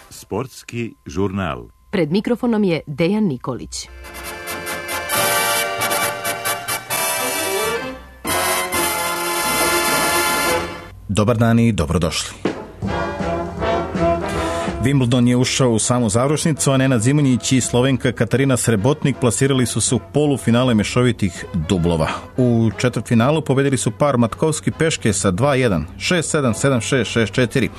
Sportski žurnal. Pred mikrofonom je Dejan Nikolić. Dobar dan i dobrodošli. Wimbledon je ušao u samu završnicu, a Nenad Zimonjić i Slovenka Katarina Srebotnik plasirali su se u polufinale mešovitih dublova. U četvrtfinalu pobedili su par Matkovski-Peške sa 2-1, 6-7, 7-6, 6-4.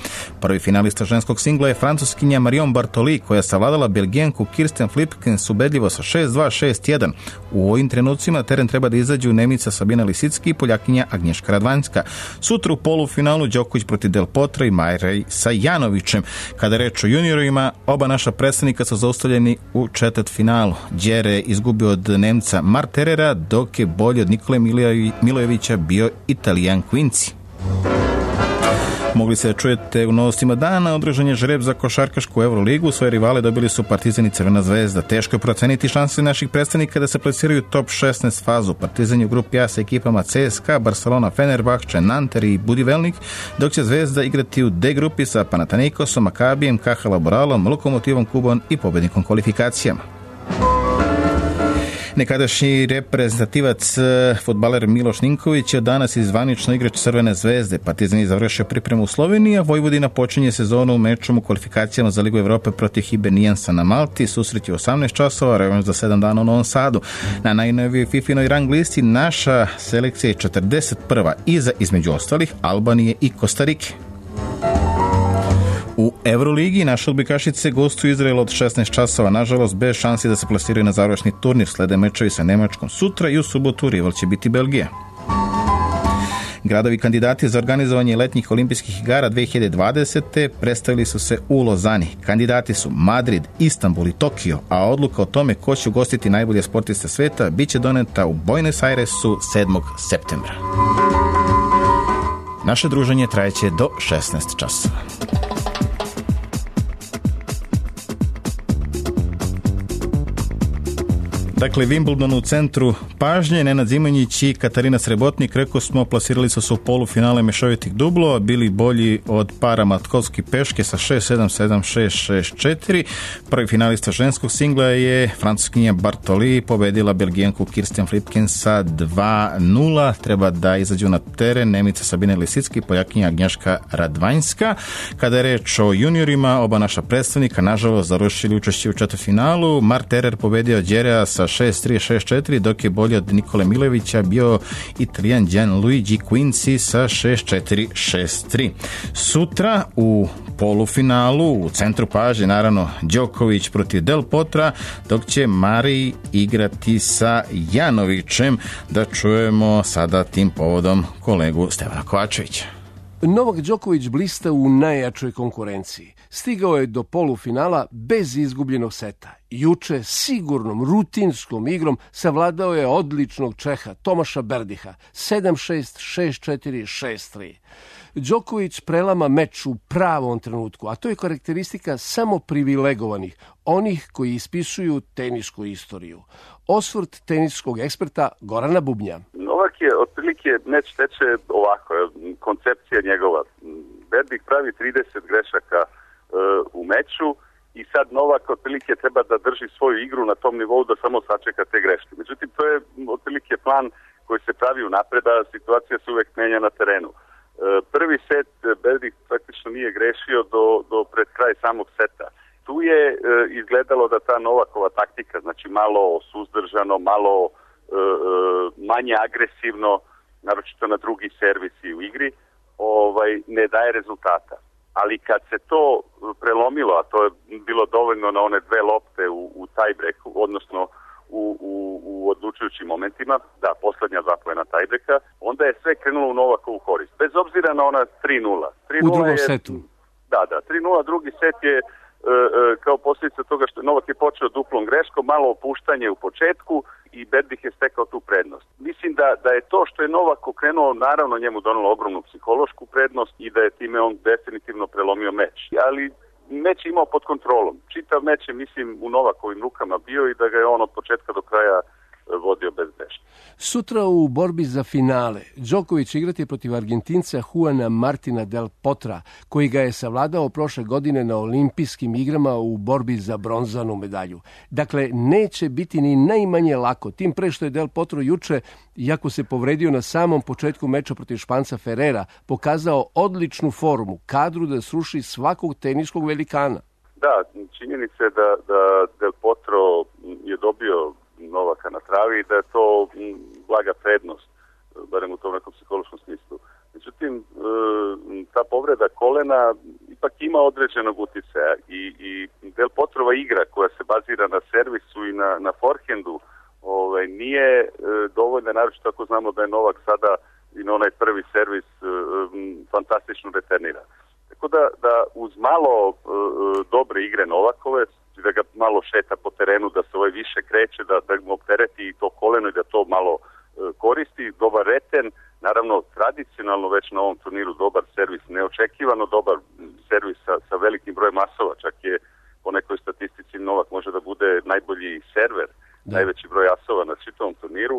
Prvi finalista ženskog singla je Francuskinja Marion Bartoli, koja je savladala Belgijanku Kirsten Flipkens ubedljivo sa 6-2, 6-1. U ovim trenucima teren treba da izađu Nemica Sabina Lisicki i Poljakinja Agnješka Radvanjska. Sutra u polufinalu Đoković protiv Del Potra i Marej sa Janovićem. Kada reč o juniorima, oba naša predstavnika su zaustavljeni u četvrtfinalu. Đere je izgubio od Nemca Marterera, dok je bolji od Nikole Milojevića bio Italijan Quincy. Mogli se čujete u novostima dana. Održan je žreb za košarkašku Euroligu. Svoje rivale dobili su Partizan i Crvena zvezda. Teško je proceniti šanse naših predstavnika da se plasiraju top 16 fazu. Partizan je u grupi A sa ekipama CSKA, Barcelona, Fenerbahče, Nanter i Budivelnik, dok će Zvezda igrati u D grupi sa Panathinaikosom, Makabijem, KH Laboralom, Lokomotivom Kubon i pobednikom kvalifikacijama. Nekadašnji reprezentativac fudbaler Miloš Ninković je danas zvanično igrač Crvene zvezde. Partizan je završio pripremu u Sloveniji, a Vojvodina počinje sezonu u mečom u kvalifikacijama za Ligu Evrope protiv Hiberniansa na Malti. Susret je 18 časova, revanš za 7 dana u Novom Sadu. Na najnovijoj FIFA-inoj rang listi naša selekcija je 41. iza, između ostalih, Albanije i Kostarike. U Euroligi naše odbojkašice gostuju Izrael od 16 časova, nažalost bez šansi da se plasiraju na završni turnir. Slede mečevi sa Nemačkom sutra i u subotu rival će biti Belgija. Gradovi kandidati za organizovanje letnjih olimpijskih igara 2020. predstavili su se u Lozani. Kandidati su Madrid, Istanbul i Tokio, a odluka o tome ko će ugostiti najbolje sportiste sveta biće doneta u Buenos Airesu 7. septembra. Naše druženje trajeće do 16 časova. Dakle, Wimbledon u centru pažnje, Nenad Zimonjić i Katarina Srebotnik, rekao smo, plasirali su se u polufinale mešovitih dublova, bili bolji od para Matkovski-Peške sa 6-7, 7-6, 6-4. Prvi finalista ženskog singla je Francuskinja Bartoli, pobedila Belgijanku Kirsten Flipkens sa 2-0. Treba da izađu na teren Nemica Sabine Lisicki, Poljakinja Agnješka Radvanjska. Kada je reč o juniorima, oba naša predstavnika nažalost završili učešće u četvrtfinalu. Marterer pobedio Đerea sa 6-3, 6-4, dok je bolji od Nikole Milojevića bio Italijan Gianluigi Quincy sa 6-4, 6-3. Sutra u polufinalu u centru pažnje naravno Đoković protiv Del Potra, dok će Marij igrati sa Janovićem. Da čujemo sada tim povodom kolegu Stevana Kovačevića. Novak Đoković blista u najjačoj konkurenciji. Stigao je do polufinala bez izgubljenog seta. Juče sigurnom, rutinskom igrom savladao je odličnog Čeha Tomaša Berdiha 7-6, 6-4, 6-3. Đoković prelama meč u pravom trenutku, a to je karakteristika samo privilegovanih, onih koji ispisuju tenisku istoriju. Osvrt teniskog eksperta Gorana Bubnja. Novak je otprilike meč teče ovako, koncepcija njegova. Berdih pravi 30 grešaka u meču i sad Novak otprilike treba da drži svoju igru na tom nivou da samo sačeka te greške. Međutim, to je otprilike plan koji se pravi unapred, a situacija se uvek menja na terenu. Prvi set Berdih praktično nije grešio do pred kraj samog seta. Tu je izgledalo da ta Novakova taktika, znači malo suzdržano, malo manje agresivno, naročito na drugi servisi u igri, ne daje rezultata. Ali kad se to prelomilo, a to je bilo dovoljno na one dve lopte u tiebreaku, odnosno u odlučujućim momentima, da, poslednja zapoena tiebreaka, onda je sve krenulo u Novakovu korist. Bez obzira na ona 3-0. U drugom setu. Da, 3-0, drugi set je kao posljedica toga što Novak je počeo duplom greškom, malo opuštanje u početku i Berdih je stekao tu prednost. Mislim da je to što je Novak okrenuo, naravno njemu donalo ogromnu psihološku prednost i da je time on definitivno prelomio meč. Ali meč je imao pod kontrolom. Čitav meč je, mislim, u Novakovim rukama bio i da ga je on od početka do kraja vodio bezgrešno. Sutra u borbi za finale Đoković igrati protiv Argentinca Juana Martina del Potra, koji ga je savladao prošle godine na olimpijskim igrama u borbi za bronzanu medalju. Dakle, neće biti ni najmanje lako, tim pre što je del Potro juče, iako se povredio na samom početku meča protiv Španca Ferrera, pokazao odličnu formu, kadru da sruši svakog teniskog velikana. Da, činjenica je da del Potro je dobio Novaka na travi i da je to blaga prednost, barem u tom nekom psihološkom smislu. Međutim, ta povreda kolena ipak ima određenog uticaja i del Potrova igra koja se bazira na servisu i na forehandu nije dovoljna, naročito ako znamo da je Novak sada i na onaj prvi servis fantastično returnira. Tako da uz malo dobre igre Novakove, da ga malo šeta po terenu, da se više kreće, da mu optereti i to koleno i da to malo koristi, dobar reten, naravno tradicionalno već na ovom turniru dobar servis, neočekivano dobar servis sa velikim brojem masova, čak je po nekoj statistici Novak može da bude najbolji server, najveći broj asova na čitavom turniru.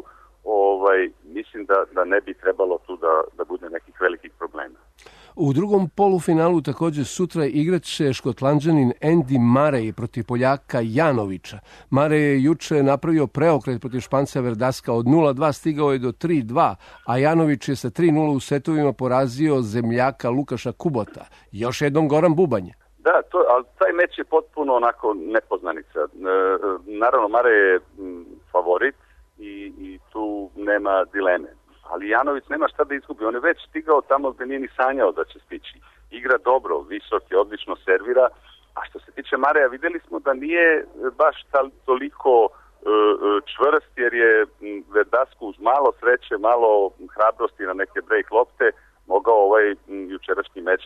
Mislim da ne bi trebalo tu da bude nekih velikih problema. U drugom polufinalu također sutra igrat će Škotlanđanin Andy Murray protiv Poljaka Janovića. Murray je juče napravio preokret protiv Španca Verdaska, od 0-2 stigao je do 3-2, a Janović je sa 3-0 u setovima porazio zemljaka Lukaša Kubota. Još jednom Goran Bubanje. Da, ali taj meč je potpuno onako nepoznanica. Naravno, Murray je favorit i tu nema dileme. Ali Janović nema šta da izgubi, on je već stigao tamo gdje nije ni sanjao da će stići. Igra dobro, visok je, odlično servira, a što se tiče Mareja, vidjeli smo da nije baš toliko čvrst, jer je Verdasku uz malo sreće, malo hrabrosti na neke break lopte mogao jučerašnji meč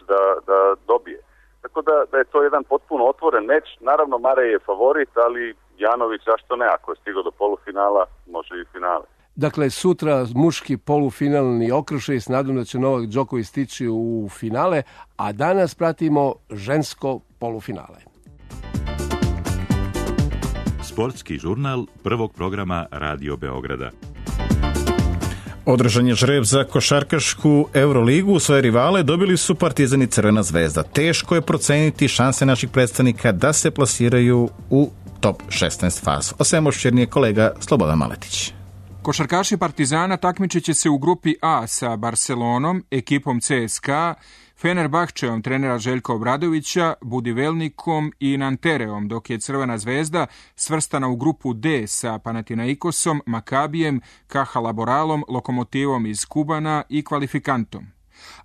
da dobije. Tako da je to jedan potpuno otvoren meč. Naravno, Marej je favorit, ali Janović, zašto ne? Ako je stigao do polufinala, može i finale. Dakle, sutra muški polufinalni okršaj s nadom da će Novak Đoković stići u finale, a danas pratimo žensko polufinale. Sportski žurnal prvog programa Radio Beograda. Održan je žreb za košarkašku Euroligu. Svoje rivale dobili su Partizan i Crvena zvezda. Teško je proceniti šanse naših predstavnika da se plasiraju u top 16 fazu. O svemu širnije kolega Slobodan Maletić. Košarkaši Partizana takmičit će se u grupi A sa Barcelonom, ekipom CSKA, Fenerbahčeom trenera Željka Obradovića, Budivelnikom i Nantereom, dok je Crvena zvezda svrstana u grupu D sa Panathinaikosom, Makabijem, Caja Laboralom, Lokomotivom iz Kubana i Kvalifikantom.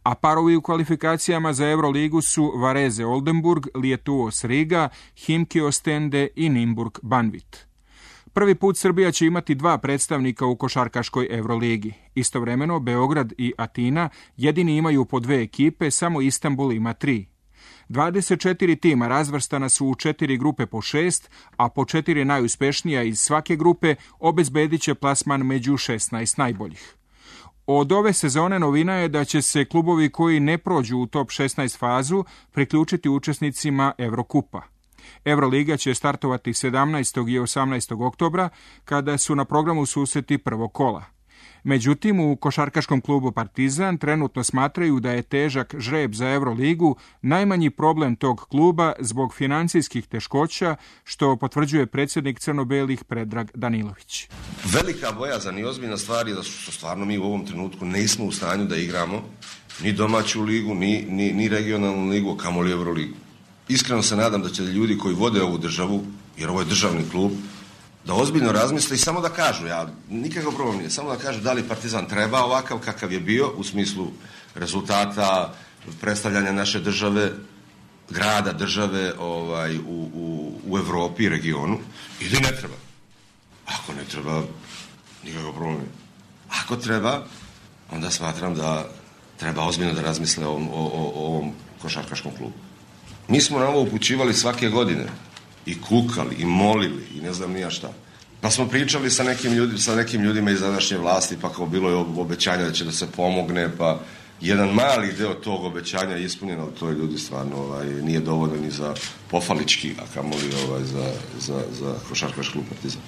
A parovi u kvalifikacijama za Euroligu su Varese Oldenburg, Lietuos Riga, Himki Ostende i Nimburg Banvit. Prvi put Srbija će imati 2 predstavnika u košarkaškoj Euroligi. Istovremeno, Beograd i Atina jedini imaju po 2 ekipe, samo Istanbul ima 3. 24 tima razvrstana su u 4 grupe po 6, a po 4 najuspešnija iz svake grupe obezbedit će plasman među 16 najboljih. Od ove sezone novina je da će se klubovi koji ne prođu u top 16 fazu priključiti učesnicima Evrokupa. Euroliga će startovati 17. i 18. oktobra, kada su na programu susreti prvog kola. Međutim, u košarkaškom klubu Partizan trenutno smatraju da je težak žreb za Euroligu najmanji problem tog kluba zbog financijskih teškoća, što potvrđuje predsjednik crno-belih Predrag Danilović. Velika bojazan i ozbiljna stvar je da što stvarno mi u ovom trenutku nismo u stanju da igramo ni domaću ligu, ni regionalnu ligu, a kamoli Euroligu. Iskreno se nadam da će ljudi koji vode ovu državu, jer ovo je državni klub, da ozbiljno razmisle i samo da kažu, ja nikakav problem nije, samo da kažu da li Partizan treba ovakav kakav je bio u smislu rezultata, predstavljanja naše države, grada, države u Evropi i regionu, ili ne treba. Ako ne treba, nikakav problem nije. Ako treba, onda smatram da treba ozbiljno da razmisle o ovom košarkaškom klubu. Mi smo na ovo upućivali svake godine i kukali i molili i ne znam nija šta. Pa smo pričali sa nekim ljudima iz današnje vlasti, pa kao bilo je obećanja da će da se pomogne, pa jedan mali deo tog obećanja je ispunjen, ali to je ljudi stvarno nije dovoljno ni za pofalički, a kamoli za košarkaški klub Partizan.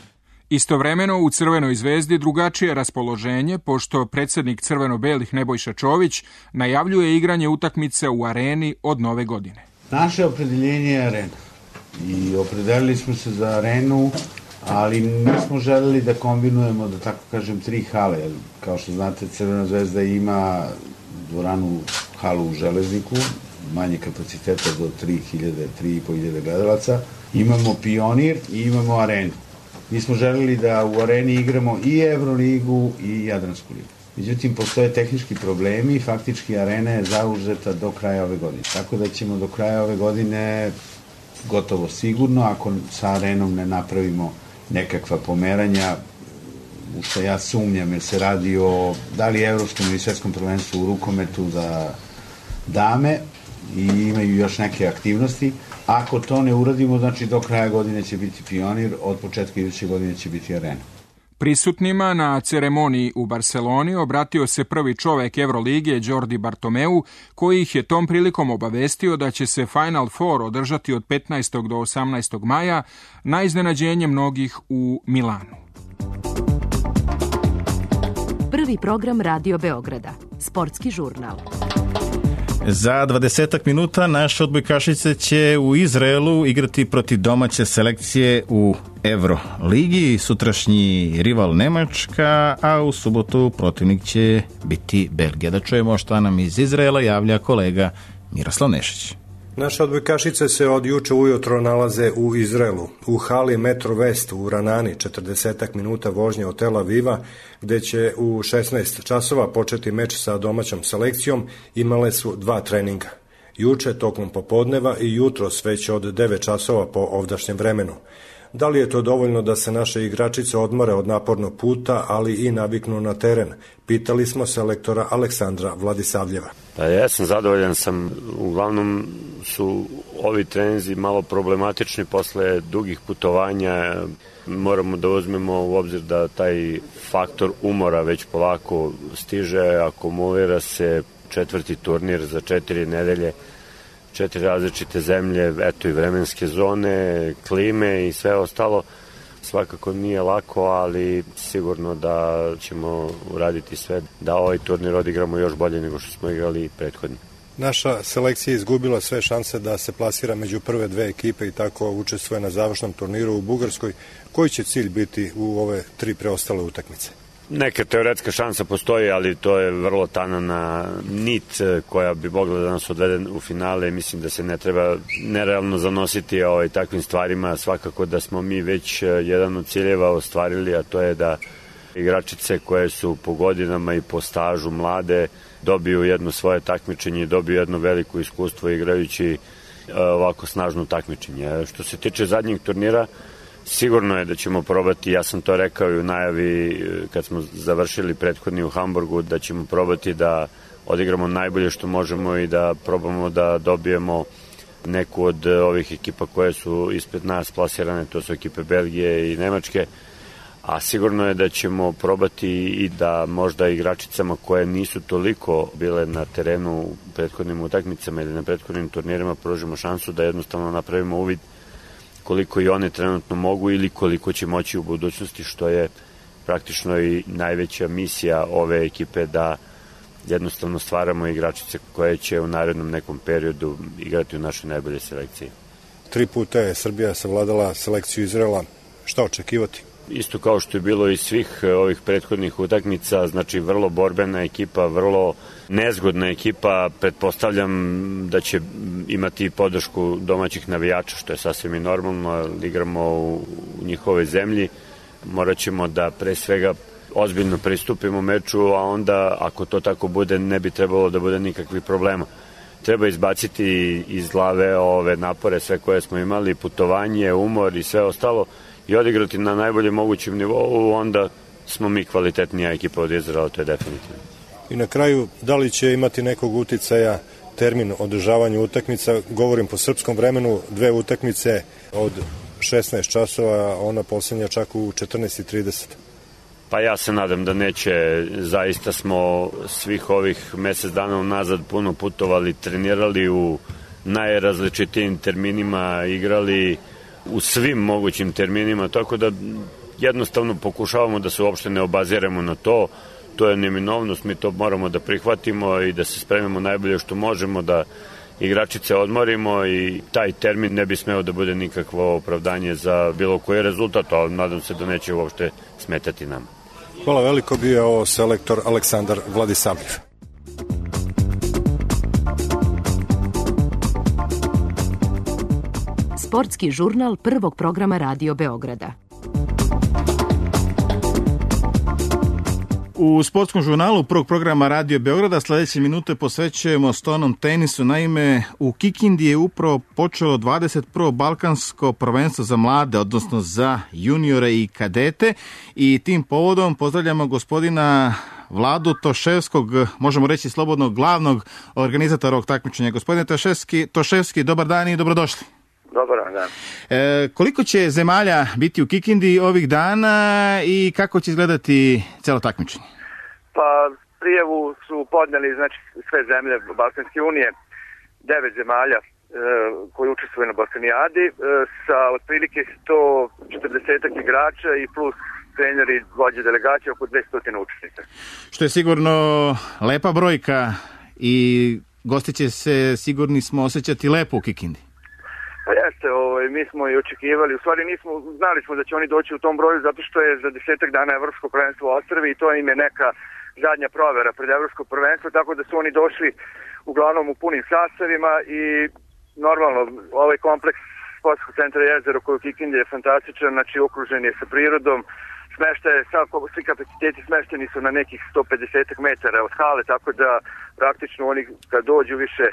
Istovremeno u Crvenoj zvezdi drugačije raspoloženje, pošto predsjednik crveno-belih Nebojša Čović najavljuje igranje utakmice u areni od nove godine. Naše opredjeljenje je arena i opredelili smo se za arenu, ali nismo želeli da kombinujemo, da tako kažem, 3 hale. Kao što znate, Crvena zvezda ima dvoranu, halu u Železniku, manje kapaciteta do 3.500 gledalaca. Imamo Pionir i imamo arenu. Mi smo želeli da u areni igramo i Evroligu i Jadransku ligu. Međutim, postoje tehnički problemi i faktički arena je zauzeta do kraja ove godine. Tako da ćemo do kraja ove godine gotovo sigurno, ako sa arenom ne napravimo nekakva pomeranja, u što ja sumnjam, jer se radi o da li evropskom ili svetskom prvenstvu u rukometu za dame i imaju još neke aktivnosti. Ako to ne uradimo, znači do kraja godine će biti Pionir, od početka iduće godine će biti arena. Prisutnima na ceremoniji u Barceloni obratio se prvi čovek Evrolige Jordi Bartomeu, koji ih je tom prilikom obavestio da će se Final Four održati od 15. do 18. maja na iznenađenje mnogih u Milanu. Prvi program Radio Beograda, sportski žurnal. Za 20 minuta naše odbojkašice će u Izraelu igrati protiv domaće selekcije u Evroligi, sutrašnji rival Nemačka, a u subotu protivnik će biti Belgija. Da čujemo šta nam iz Izraela javlja kolega Miroslav Nešić. Naše odbojkašice se od juče ujutro nalaze u Izraelu, u hali Metro West u Ranani, 40 minuta vožnje od Tel Aviva, gde će u 16 časova početi meč sa domaćom selekcijom. Imale su 2 treninga. Juče tokom popodneva i jutros već od 9 časova po ovdašnjem vremenu. Da li je to dovoljno da se naše igračice odmore od napornog puta, ali i naviknu na teren? Pitali smo selektora Aleksandra Vladisavljeva. Ja sam zadovoljan, uglavnom su ovi treninzi malo problematični posle dugih putovanja. Moramo da uzmemo u obzir da taj faktor umora već polako stiže, akumulira se 4. turnir za 4 nedelje, 4 različite zemlje, eto i vremenske zone, klime i sve ostalo. Svakako nije lako, ali sigurno da ćemo uraditi sve da ovaj turnir odigramo još bolje nego što smo igrali prethodni. Naša selekcija izgubila sve šanse da se plasira među prve 2 ekipe i tako učestvuje na završnom turniru u Bugarskoj. Koji će cilj biti u ove 3 preostale utakmice? Neka teoretska šansa postoji, ali to je vrlo tanana nit koja bi mogla da nas odvede u finale. Mislim da se ne treba nerealno zanositi takvim stvarima. Svakako da smo mi već jedan od ciljeva ostvarili, a to je da igračice koje su po godinama i po stažu mlade dobiju jedno svoje takmičenje i dobiju jedno veliko iskustvo igrajući ovako snažno takmičenje. Što se tiče zadnjeg turnira, sigurno je da ćemo probati, ja sam to rekao i u najavi kad smo završili prethodni u Hamburgu, da ćemo probati da odigramo najbolje što možemo i da probamo da dobijemo neku od ovih ekipa koje su ispred nas plasirane, to su ekipe Belgije i Nemačke, a sigurno je da ćemo probati i da možda igračicama koje nisu toliko bile na terenu u prethodnim utakmicama ili na prethodnim turnirima pružimo šansu da jednostavno napravimo uvid koliko i one trenutno mogu ili koliko će moći u budućnosti, što je praktično i najveća misija ove ekipe, da jednostavno stvaramo igračice koje će u narednom nekom periodu igrati u našoj najbolje selekciji. 3 puta je Srbija savladala selekciju Izraela. Šta očekivati? Isto kao što je bilo i svih ovih prethodnih utakmica, znači vrlo borbena ekipa, vrlo nezgodna ekipa. Pretpostavljam da će imati podršku domaćih navijača, što je sasvim i normalno, igramo u njihovoj zemlji. Morat ćemo da pre svega ozbiljno pristupimo meču, a onda ako to tako bude ne bi trebalo da bude nikakvih problema. Treba izbaciti iz glave ove napore sve koje smo imali, putovanje, umor i sve ostalo, i odigrati na najboljem mogućem nivou, onda smo mi kvalitetnija ekipa od Izraela, to je definitivno. I na kraju, da li će imati nekog uticaja termin održavanja utakmica? Govorim po srpskom vremenu, 2 utakmice od 16 časova, ona posljednja čak u 14:30. Pa ja se nadam da neće. Zaista smo svih ovih mesec dana unazad puno putovali, trenirali u najrazličitijim terminima, igrali u svim mogućim terminima, tako da jednostavno pokušavamo da se uopšte ne obaziremo na to. To je neminovnost, mi to moramo da prihvatimo i da se spremimo najbolje što možemo, da igračice odmorimo i taj termin ne bi smeo da bude nikakvo opravdanje za bilo koji rezultat, ali nadam se da neće uopšte smetati nam. Hvala veliko, bio je ovo selektor Aleksandar Vladisavljev. Sportski žurnal prvog programa Radio Beograda. U sportskom žurnalu prvog programa Radio Beograda sledeće minute posvećujemo stonom tenisu. Naime, u Kikindi je upravo počelo 21. balkansko prvenstvo za mlade, odnosno za juniore i kadete. I tim povodom pozdravljamo gospodina Vladu Toševskog, možemo reći slobodno glavnog organizatora ovog takmičenja. Gospodine Toševski, dobar dan i dobrodošli. Dobar dan. Koliko će zemalja biti u Kikindi ovih dana i kako će izgledati celo takmičenje? Pa prijavu su podneli sve zemlje Balkanske unije, 9 zemalja koji učestvuju na Balkanijadi sa otprilike 140 igrača i plus treneri, vođe delegacije, oko 200 učesnika. Što je sigurno lepa brojka i gosti će se, sigurni smo, osjećati lepo u Kikindi. Pa jeste, mi smo i očekivali, u stvari znali smo da će oni doći u tom broju zato što je za 10 dana Evropsko prvenstvo u Ostrvi i to im je neka zadnja provera pred Evropsko prvenstvo, tako da su oni došli uglavnom u punim sastavima i normalno ovaj kompleks sportskog centra Jezero koji u Kikindi je fantastičan, znači okružen je sa prirodom, svi kapaciteti smešteni su na nekih 150 metara od hale, tako da praktično oni kad dođu više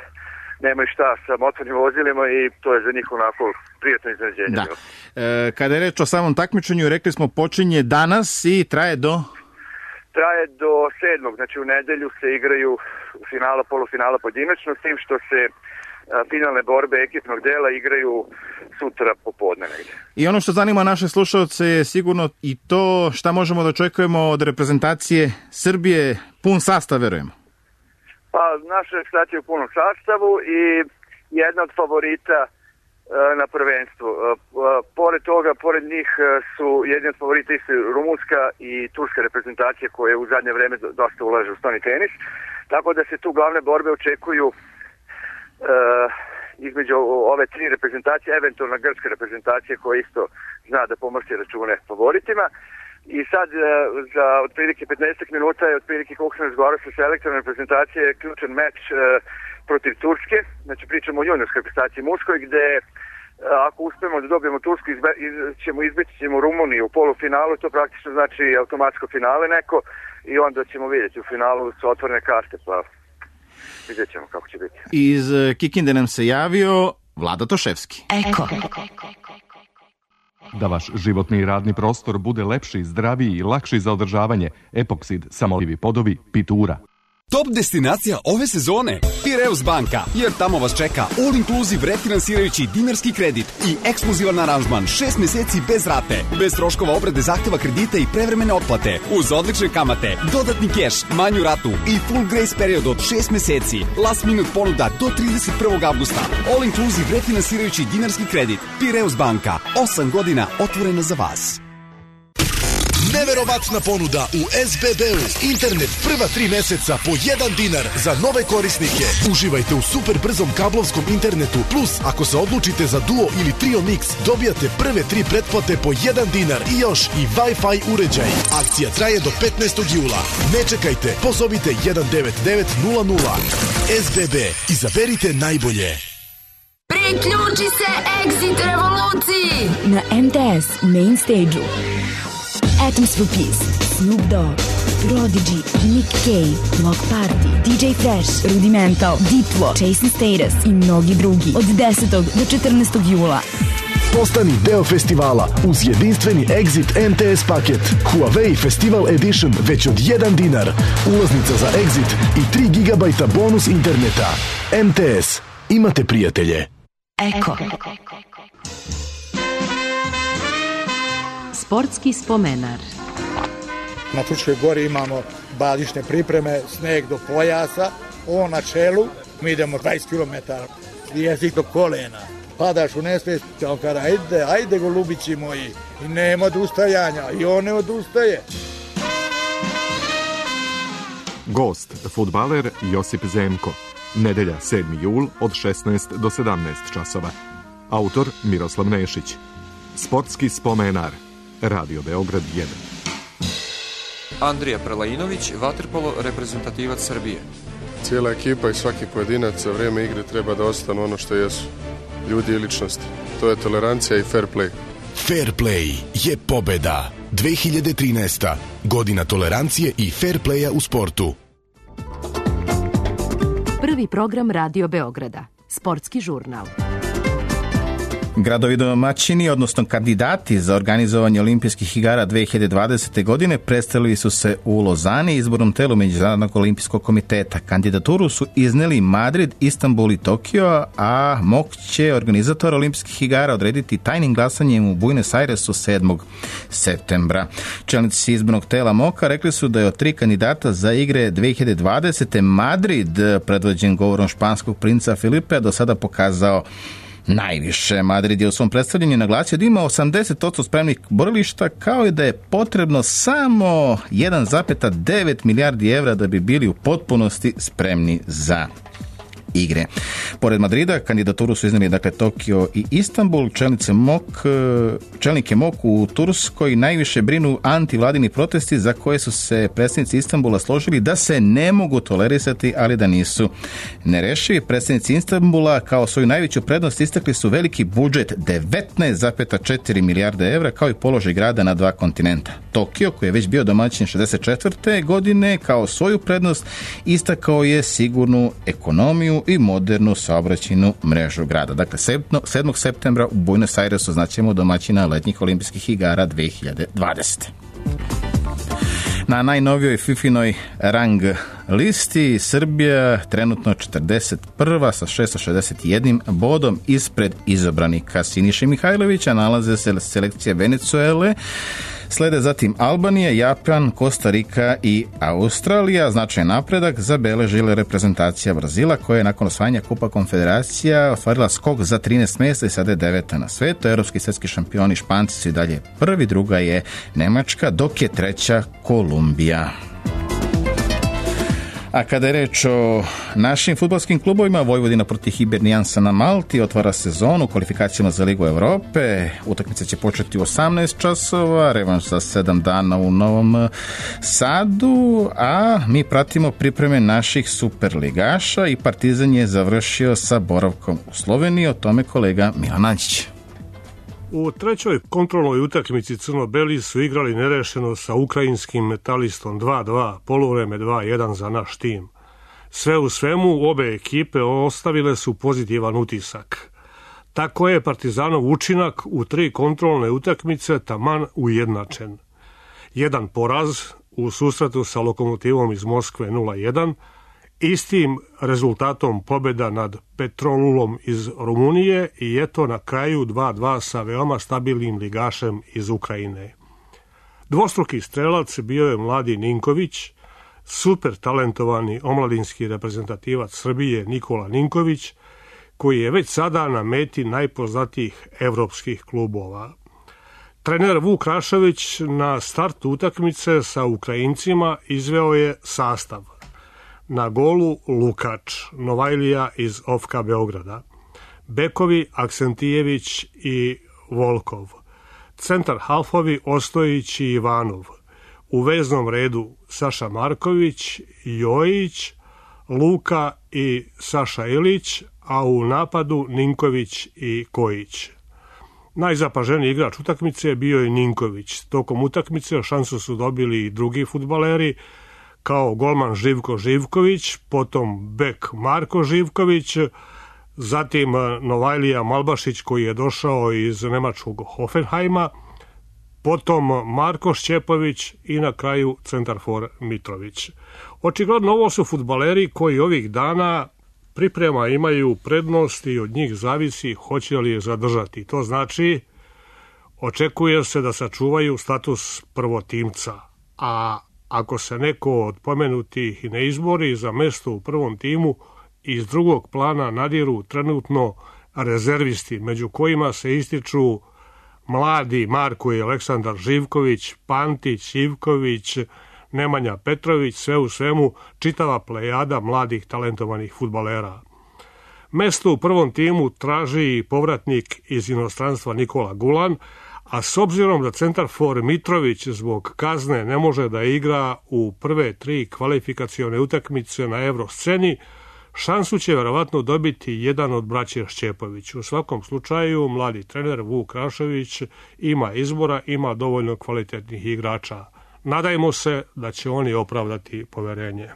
nemaju šta sa motornim vozilima i to je za njih onako prijatno iznenađenje. Da. Kada je reč o samom takmičenju, rekli smo počinje danas i traje do 7. Znači u nedelju se igraju finala, polufinala pojedinačno, s tim što se finalne borbe ekipnog dela igraju sutra popodne negdje. I ono što zanima naše slušalce je sigurno i to šta možemo da očekujemo od reprezentacije Srbije, pun sastav, verujemo. Pa naša reprezentacija je u punom sastavu i jedna od favorita na prvenstvu. Pored toga, pored njih su jedni od favorita isto rumunska i turska reprezentacija koje u zadnje vreme dosta ulaže u stoni tenis. Tako da se tu glavne borbe očekuju između ove tri reprezentacije, eventualna grčka reprezentacija koja isto zna da pomrsti račune favoritima. I sad za otprilike 15 minuta je otprilike koliko sam razgovarao sa selektorom reprezentacije ključan meč protiv Turske. Znači pričamo o juniorskoj reprezentaciji muškoj gde ako uspemo da dobijemo Tursku ćemo Rumuniju u polufinalu, to praktično znači automatsko finale neko i onda ćemo vidjeti u finalu su otvorene karte, pa vidjet ćemo kako će biti. Iz Kikinde nam se javio Vlada Toševski. Eko. Da vaš životni i radni prostor bude lepši, zdraviji i lakši za održavanje, Epoksid, samolivi podovi, Pitura. Top destinacija ove sezone Piraeus banka, jer tamo vas čeka all inclusive refinansirajući dinarski kredit i ekskluzivan aranžman 6 meseci bez rate, bez troškova obrade zahteva kredita i prevremene otplate, uz odlične kamate, dodatni keš, manju ratu i full grace period od 6 meseci, last minute ponuda do 31. avgusta, all inclusive refinansirajući dinarski kredit. Piraeus banka, 8 godina otvorena za vas. Neverovatna ponuda u SBB-u. Internet prva 3 meseca po 1 dinar za nove korisnike. Uživajte u super brzom kablovskom internetu. Plus, ako se odlučite za Duo ili Trio Mix, dobijate prve 3 pretplate po 1 dinar i još i Wi-Fi uređaj. Akcija traje do 15. jula. Ne čekajte, pozovite 19900. SBB. Izaberite najbolje. Priključi se Exit revoluciji na MTS Main Stage-u. Atoms for Peace, Snoop Dogg, Prodigy, Nick Cave, Block Party, DJ Fresh, Rudimental, Diplo, Jason Status i mnogi drugi od 10. do 14. jula. Postani deo festivala uz jedinstveni Exit MTS paket. Huawei Festival Edition već od 1 dinar. Ulaznica za Exit i 3 GB bonus interneta. MTS. Imate prijatelje. Eko. Sportski spomenar. Na Fruškoj gori imamo bazične pripreme, sneg do pojasa, on na čelu, mi idemo 20 km, jezik do kolena. padaš u nesvijest, on kada ajde golubići moji, i nema odustajanja, i on ne odustaje. Gost, fudbaler Josip Zemko. Nedelja 7. jul od 16 do 17 časova. Autor Miroslav Nešić. Sportski spomenar. Radio Beograd 1. Andrija Prelajinović, vaterpolo reprezentativac Srbije. Cijela ekipa i svaki pojedinac za vrijeme igre treba da ostanu ono što jesu. Ljudi i ličnosti. To je tolerancija i fair play. Fair play je pobeda. 2013. Godina tolerancije i fair playa u sportu. Prvi program Radio Beograda. Sportski žurnal. Gradovi domaćini, odnosno kandidati za organizovanje olimpijskih igara 2020. godine predstavili su se u Lozani izbornom telu Međunarodnog olimpijskog komiteta. Kandidaturu su izneli Madrid, Istanbul i Tokio, a MOK će organizator olimpijskih igara odrediti tajnim glasanjem u Buenos Airesu 7. septembra. Čelnici izbornog tela MOK-a rekli su da je od 3 kandidata za igre 2020. Madrid, predvođen govorom španskog princa Filipe, do sada pokazao najviše. Madrid je u svom predstavljanju naglasio da ima 80% spremnih borilišta, kao i da je potrebno samo 1,9 milijardi evra da bi bili u potpunosti spremni za igre. Pored Madrida, kandidaturu su iznijeli Tokio i Istanbul. Čelnike MOK u Turskoj najviše brinu antivladini protesti za koje su se predstavnici Istanbula složili da se ne mogu tolerisati, ali da nisu nerešivi. Predstavnici Istanbula kao svoju najveću prednost istakli su veliki budžet 19,4 milijarde evra, kao i položaj grada na 2 kontinenta. Tokio, koji je već bio domaćin 64. godine, kao svoju prednost istakao je sigurnu ekonomiju i modernu saobraćajnu mrežu grada. Dakle, 7. septembra u Buenos Airesu znaćemo domaćina letnjih olimpijskih igara 2020. Na najnovijoj FIFA-inoj rang listi Srbija trenutno 41. sa 661 bodom ispred izabranika Siniše Mihajlovića. Nalaze se selekcije Venezuele, slede zatim Albanija, Japan, Kostarika i Australija. Značajan napredak zabeležila reprezentacija Brazila, koja je nakon osvajanja Kupa Konfederacija ostvarila skok za 13 mjesta i sada je 9. na svetu. Europski svjetski šampioni Španci su i dalje prvi, druga je Nemačka, dok je treća Kolumbija. A kada je reč o našim fudbalskim klubovima, Vojvodina protiv Hibernijansa na Malti otvara sezonu u kvalifikacijama za Ligu Europe. Utakmica će početi u 18 časova, revanš za 7 dana u Novom Sadu, a mi pratimo pripreme naših superligaša i Partizan je završio sa boravkom u Sloveniji. O tome kolega Milan Ančić. U trećoj kontrolnoj utakmici crno-beli su igrali nerešeno sa ukrajinskim Metalistom 2-2, poluvreme 2-1 za naš tim. Sve u svemu, obe ekipe ostavile su pozitivan utisak. Tako je Partizanov učinak u 3 kontrolne utakmice taman ujednačen. Jedan poraz u susretu sa Lokomotivom iz Moskve 0-1, istim rezultatom pobjeda nad Petrolulom iz Rumunije i eto na kraju 2-2 sa veoma stabilnim ligašem iz Ukrajine. Dvostruki strelac bio je mladi Ninković, super talentovani omladinski reprezentativac Srbije Nikola Ninković, koji je već sada na meti najpoznatijih evropskih klubova. Trener Vuk Rašović na startu utakmice sa Ukrajincima izveo je sastav. Na golu Lukač, Novajlija iz OFK Beograda. Bekovi Aksentijević i Volkov. Centar halfovi Ostojić i Ivanov. U veznom redu Saša Marković, Jojić, Luka i Saša Ilić, a u napadu Ninković i Kojić. Najzapaženiji igrač utakmice bio je Ninković. Tokom utakmice šansu su dobili i drugi fudbaleri, kao golman Živko Živković, potom bek Marko Živković, zatim Novajlija Malbašić koji je došao iz nemačkog Hoffenheima, potom Marko Šćepović i na kraju centarfor Mitrović. Očigledno ovo su fudbaleri koji ovih dana priprema imaju prednost i od njih zavisi hoće li je zadržati. To znači očekuje se da sačuvaju status prvotimca, a ako se neko od pomenutih ne izbori za mesto u prvom timu, iz drugog plana nadiru trenutno rezervisti, među kojima se ističu mladi Marko i Aleksandar Živković, Pantić, Ivković, Nemanja Petrović, sve u svemu čitava plejada mladih talentovanih fudbalera. Mesto u prvom timu traži povratnik iz inostranstva Nikola Gulan, a s obzirom da centarfor Mitrović zbog kazne ne može da igra u prve 3 kvalifikacione utakmice na Evrosceni, šansu će verovatno dobiti jedan od braće Šćepović. U svakom slučaju, mladi trener Vuk Rašević ima izbora, ima dovoljno kvalitetnih igrača. Nadajmo se da će oni opravdati poverenje.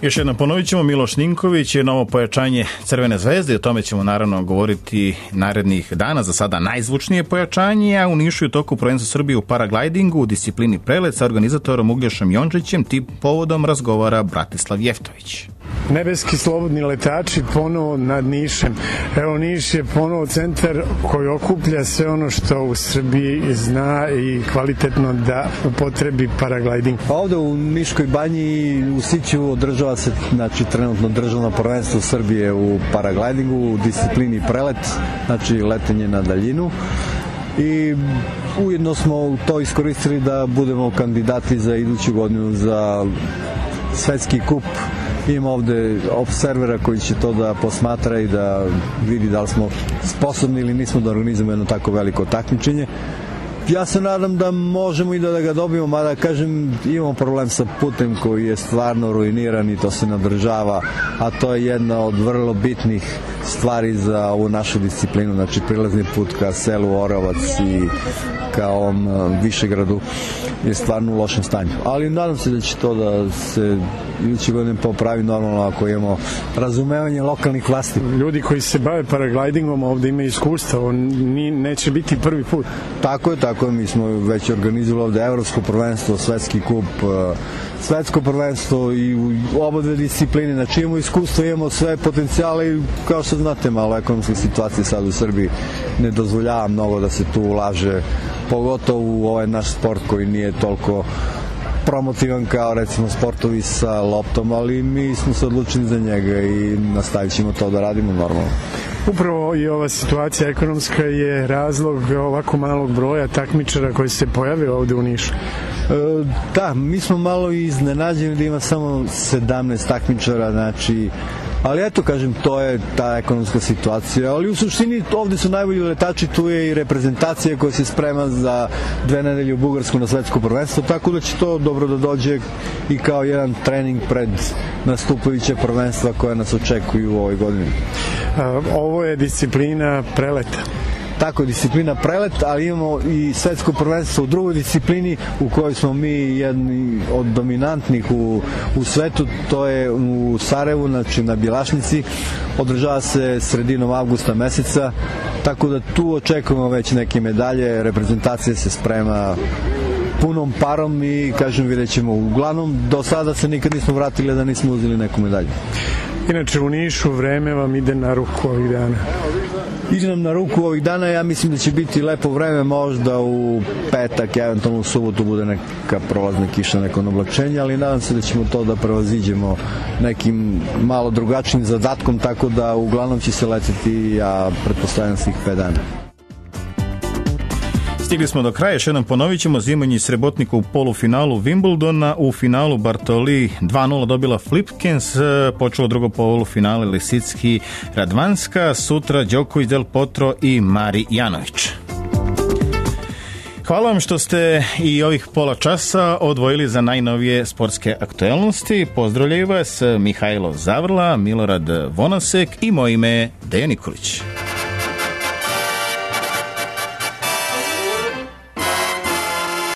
Još jednom ponovit ćemo, Miloš Ninković je novo pojačanje Crvene zvezde i o tome ćemo naravno govoriti narednih dana. Za sada najzvučnije pojačanje, a u Nišu je u toku prvenstva Srbije u paraglidingu u disciplini prelet sa organizatorom Uglješom Jončićem tim povodom razgovara Bratislav Jeftović. Nebeski slobodni letači ponovo nad Nišem. Evo, Niš je ponovo centar koji okuplja sve ono što u Srbiji zna i kvalitetno da upotrebi paragliding. Ovde u Niškoj banji u Siću održava se trenutno državno prvenstvo Srbije u paraglidingu u disciplini prelet, znači letenje na daljinu. I ujedno smo to iskoristili da budemo kandidati za iduću godinu za svetski kup. Imamo ovde observera koji će to da posmatra i da vidi da li smo sposobni ili nismo da organizujemo jedno tako veliko takmičenje. Ja se nadam da možemo i da ga dobijemo, mada kažem imamo problem sa putem koji je stvarno ruiniran i to se nadržava, a to je jedna od vrlo bitnih stvari za ovu našu disciplinu, znači prilazni put ka selu Oravac i ka ovom Višegradu je stvarno u lošem stanju. Ali nadam se da će to da se iduće godine popravi normalno ako imamo razumevanje lokalnih vlasti. Ljudi koji se bave paraglidingom ovde imaju iskustva, on neće biti prvi put. Tako je, mi smo već organizovali ovde evropsko prvenstvo, svetski kup, svetsko prvenstvo i u oba dve discipline, znači imamo iskustvo, imamo sve potencijale i kao što znate, malo ekonomska situacija sad u Srbiji ne dozvoljava mnogo da se tu ulaže, pogotovo u ovaj naš sport koji nije toliko promotivan kao recimo sportovi sa loptom, ali mi smo se odlučili za njega i nastavit ćemo to da radimo normalno. Upravo i ova situacija ekonomska je razlog ovako malog broja takmičara koji se pojave ovde u Nišu. Da, mi smo malo iznenađeni da ima samo 17 takmičara, znači, ali eto kažem, to je ta ekonomska situacija, ali u suštini ovde su najbolji letači, tu je i reprezentacija koja se sprema za 2 nedelje u Bugarsku na svetsko prvenstvo, tako da će to dobro da dođe i kao jedan trening pred nastupajuće prvenstva koja nas očekuju u ovoj godini. Ovo je disciplina preleta. Tako je, disciplina prelet, ali imamo i svetsko prvenstvo u drugoj disciplini u kojoj smo mi jedni od dominantnih u svetu, to je u Sarajevu, znači na Bjelašnici, održava se sredinom avgusta meseca, tako da tu očekujemo već neke medalje, reprezentacija se sprema punom parom i kažem vidjet ćemo, uglavnom do sada se nikad nismo vratili da nismo uzeli neku medalju. Inače u Nišu vreme vam ide na ruku ovih dana. Ide nam na ruku ovih dana, ja mislim da će biti lepo vreme, možda u petak, eventualno u subotu bude neka prolazna kiša, neko oblačenje, ali nadam se da ćemo to da prevaziđemo nekim malo drugačijim zadatkom, tako da uglavnom će se leteti, ja pretpostavljam svih 5 dana. Stigli smo do kraja, još jednom ponovit ćemo, Zimonji Srebotnik u polufinalu Wimbledona, u finalu Bartoli 2-0 dobila Flipkens, počelo drugo polufinale Lisicki Radvanska, sutra Đoković, Del Potro i Mari Janović. Hvala vam što ste i ovih pola časa odvojili za najnovije sportske aktuelnosti. Pozdravljaju vas Mihajlo Zavrla, Milorad Vonasek i moje ime Dejan Nikolić.